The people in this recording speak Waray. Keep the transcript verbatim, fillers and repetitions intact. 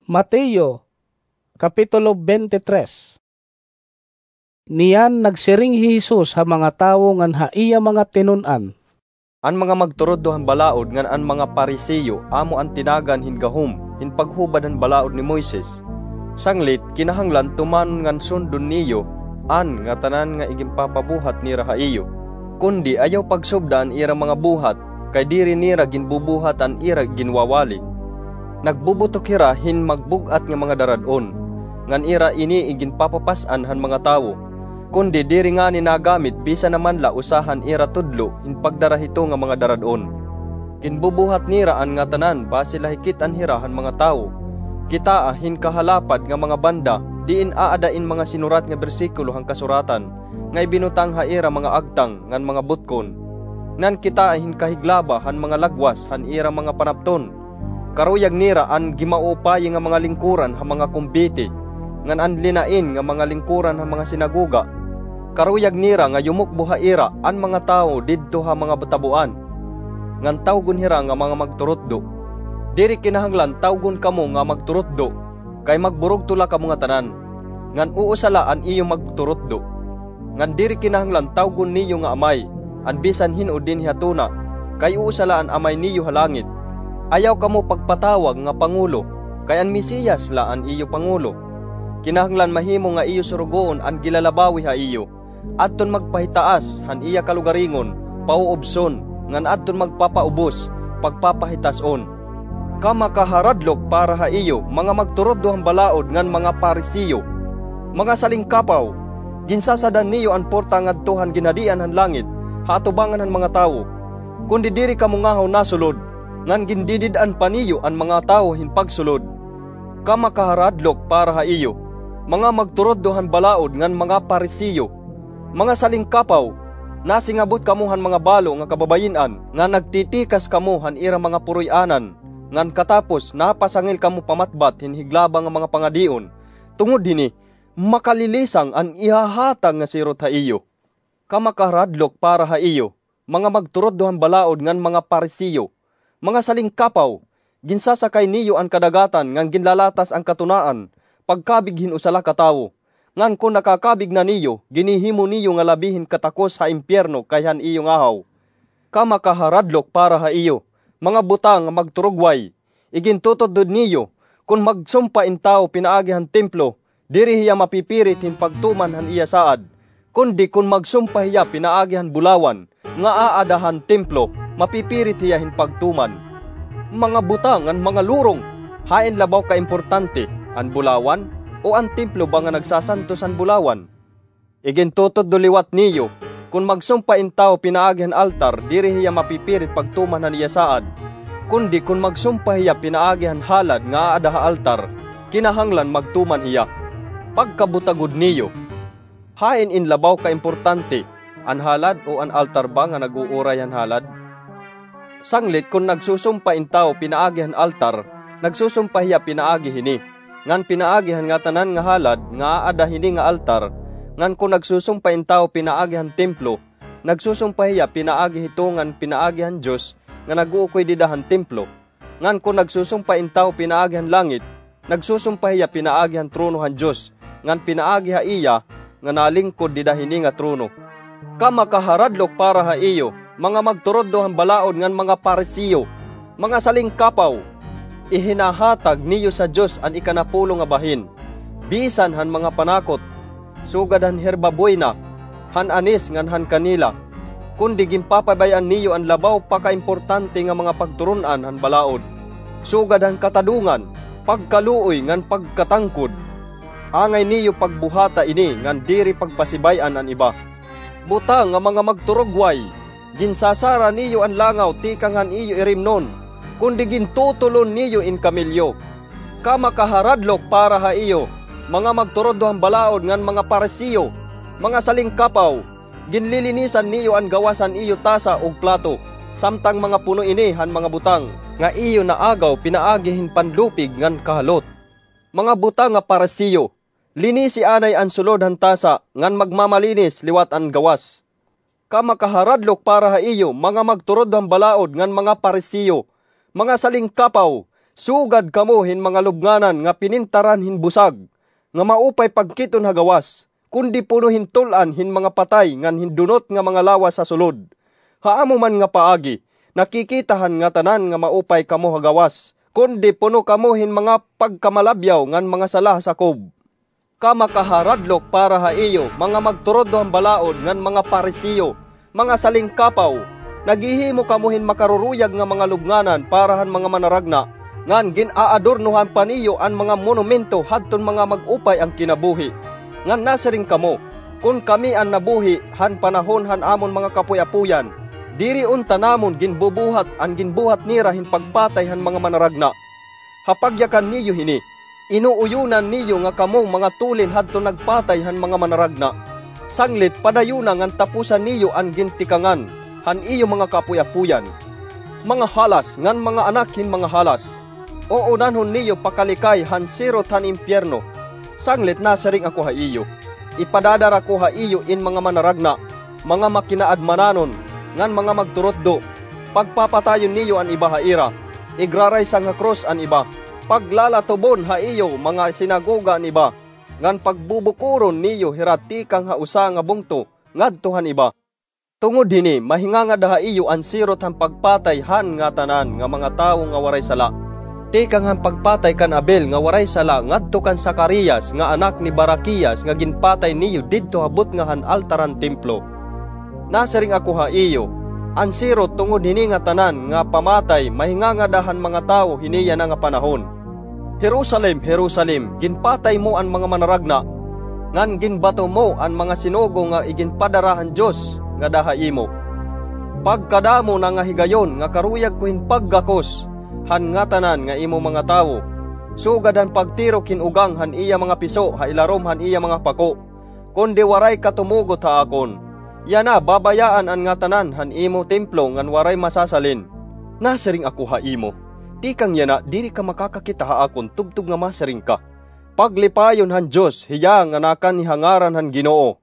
Mateo, Kapitulo twenty-three. Niyan nagsiring hi Jesus ha mga tawo ngan ha iya mga tinun-an, "An mga magturudlo han balaod ngan an mga Pariseo amo an tinagan hin gahom hin paghubad han balaod ni Moises. Sanglit, kinahanglan tumanon ngan sundon niyo an ngatanan nga iginpapabuhat nira ha iyo. Kundi ayaw pagsubda an ira mga buhat, kay diri nira ginbubuhat an ira ginwawali. Nagbubutok hira hin magbug-at nga mga darad-on, ngan ira ini iginpapapas-an han mga tawo. Kundi diri ngani nagamit bisan na man la usa han ira tudlo hin pagdara hito nga mga darad-on. Ginbubuhat nira an ngatanan basi la hikit-an hira han mga tawo. Kitaa hin kahalapad nga mga banda, diin aada in mga sinurat nga bersikulo han Kasuratan nga ibinutang ha ira mga agtang ngan mga butkon. Ngan kitaa hin kahiglaba han mga lagwas han ira mga panapton. Karuyag nira an gimaupayi nga mga lingkuran ha mga kumbiti, ngan an linain nga mga lingkuran ha mga sinagoga. Karuyag nira nga yumukbo ha ira an mga tawo didto ha mga tabuan, ngan tawgon hira nga mga magturutdo. Diri kinahanglan tawgon kamo nga magturutdo, kay magburugto la kamo ngatanan, ngan usa la an iyo magturutdo. Ngan diri kinahanglan tawgon niyo nga Amay an bisan hin-o dinhi ha tuna, kay usa la an Amay niyo ha langit. Ayaw kamo pagpatawag nga Pangulo, kay an Mesiyas la an iyo Pangulo. Kinahanglan mahimo nga iyo surugoon an gilalabawi ha iyo, adton magpahitaas han iya kalugaringon, pauubson, ngan adton magpapaubos, pagpapahitas-on. Kamakaharadlok para ha iyo, mga magturutdo han balaod ngan mga Pariseo! Mga salingkapaw! Ginsasadan niyo an porta ngadto han ginhadian han langit ha atubangan han mga tawo, kundi diri kamo ngahaw nasulod, ngan gindidid-an pa niyo an mga tawo hin pagsulod. Kamakaharadlok para ha iyo, mga magturutdo han balaod ngan mga Pariseo! Mga salingkapaw! Nasingabot kamo han mga balo nga kababayin-an, ngan nagtitikas kamo han ira mga puroy-anan, ngan katapos napasangil kamo pamatbat hin higlaba nga mga pangadion. Tungod hini, makalilisang an ihahatag nga sirot ha iyo. Kamakaharadlok para ha iyo, mga magturutdo han balaod ngan mga Pariseo! Mga salingkapaw! Ginsasakay niyo an kadagatan ngan ginlalatas an katunaan pagkabig hin usa la ka tawo, ngan kon nakakabig na niyo, ginhihimo niyo nga labi hin katakos ha impiyerno kay han iyo ngahaw. Kamakaharadlok para ha iyo, mga buta nga magturugway! Igintututdo niyo, kon magsumpa in tawo pinaagi han templo, diri hiya mapipirit hin pagtuman han iya saad, kundi kon magsumpa hiya pinaagi han bulawan nga aada han templo, mapipirit hiya hin pagtuman. Mga buta ngan mga lurong! Hain labaw kaimportante, an bulawan, o an templo ba nga nagsasantos han bulawan? Igintututdo liwat niyo, kon magsumpa in tawo pinaagi han altar, diri hiya mapipirit pagtuman han iya saad, kundi kon magsumpa hiya pinaagi han halad nga aada ha altar, kinahanglan magtuman hiya. Pagkabutagod niyo! Hain in labaw kaimportante, an halad o an altar ba nga nag-uuray han halad? Sanglit kon nagsusumpa in tawo pinaagi han altar, nagsusumpa hiya pinaagi hini, ngan pinaagi han ngatanan nga halad nga aada hini nga altar, ngan kon nagsusumpa in tawo pinaagi han templo, nagsusumpa hiya pinaagi hito ngan pinaagi han Dios nga nag-uukoy dida han templo. Ngan kon nagsusumpa in tawo pinaagi han langit, nagsusumpa hiya pinaagi han trono han Dios, ngan pinaagi ha iya nga nalingkod dida hini nga trono. Kamakaharadlok para ha iyo, mga magturutdo han balaod ngan mga Pariseo! Mga salingkapaw! Ihinahatag niyo sa Dios an ikanapulo nga bahin, bisan han mga panakot, sugad han herba buena, han anis ngan han kanela. Kundi ginpapabay-an niyo an labaw pa kaimportante nga mga pagturun-an han balaod, sugad han katadongan, pagkaluoy ngan pagkatangkod. Angay niyo pagbuhata ini ngan diri pagpasibay-an an iba. Buta nga mga magturugway! Ginsasara niyo an langaw tikang han iyo irimnon, kundi gintutulon niyo in kamelyo. Kamakaharadlok para ha iyo, mga magturutdo han balaod ngan mga Pariseo! Mga salingkapaw! Ginlilinisan niyo an gawas han iyo tasa ug plato, samtang mga puno ini han mga butang nga iyo naagaw pinaagi hin panlupig ngan kahalot. Mga buta nga Pariseo! Linisi anay an sulod han tasa ngan magmamalinis liwat an gawas. Kamakaharadlok para ha iyo, mga magturutdo han balaod ngan mga Pariseo! Mga salingkapaw! Sugad kamo hin mga lubnganan nga pinintaran hin busag, nga maupay pagkit-on ha gawas, kundi puno hin tul-an hin mga patay ngan hin dunot nga mga lawas ha sulod. Ha amo man nga paagi, nakikita han ngatanan nga maupay kamo ha gawas, kundi puno kamo hin mga pagkamalabyaw ngan mga sala ha sakob. Kamakaharadlok para ha iyo, mga magturuddo han balaod ngan mga Pariseo, mga salingkapaw! Naghihimo kamo hin makaruruyag nga mga lubnganan para han mga manaragna, ngan gin-aadornohan pa niyo an mga monumento hadton mga mag-upay an kinabuhi. Ngan nasiring kamo, "Kon kami an nabuhi han panahon han amon mga kapuy-apuyan, diri unta namon ginbubuhat an ginbuhat nira hin pagpatay han mga manaragna." Ha pagyakan niyo hini, inuuyonan niyo nga kamo mga tulin hadton nagpatay han mga manaragna. Sanglit padayon na ngan tapusan niyo an gintikangan han iyo mga kapuy-apuyan. Mga halas ngan mga anak hin mga halas, uunanhon niyo pakalikay han sirot han impyerno. Sanglit nasiring ako ha iyo, ipadadara ko ha iyo in mga manaragna, mga makinaadmananon, ngan mga magturutdo. Pagpapatayon niyo an iba ha ira, igraraysang ha krus an iba, paglalatubon ha iyo mga sinagoga an iba, ngan pagbubukoron niyo hira tikang ha usa nga bungto ngadto han iba. Tungod hini, mahingangada ha iyo an sirot han pagpatay han ngatanan nga mga tawo nga waray sala, tikang han pagpatay kan Abel nga waray sala ngadto kan Zacarias nga anak ni Baraquias nga ginpatay niyo didto ha butnga han altar han templo. Nasiring ako ha iyo, an sirot tungod hini ngatanan nga pamatay mahingangada han mga tawo hini yana nga panahon. Jerusalem, Jerusalem, ginpatay mo an mga manaragna, ngan ginbato mo an mga sinugo nga iginpadara han Dios ngada ha imo! Pagkadamo na nga higayon nga karuyag ko hin paggakos han ngatanan nga imo mga tawo, sugad han pagtirok hin ugang han iya mga piso ha ilarom han iya mga pako, kundi waray ka tumugot ha akon. Yana, babayaan an ngatanan han imo templo ngan waray masasalin. Nasiring ako ha imo, tikang yana diri ka makakakita ha akon tubtob nga masiring ka, "Paglipayon han Dios hiya nga nakanihangaran han Ginoo."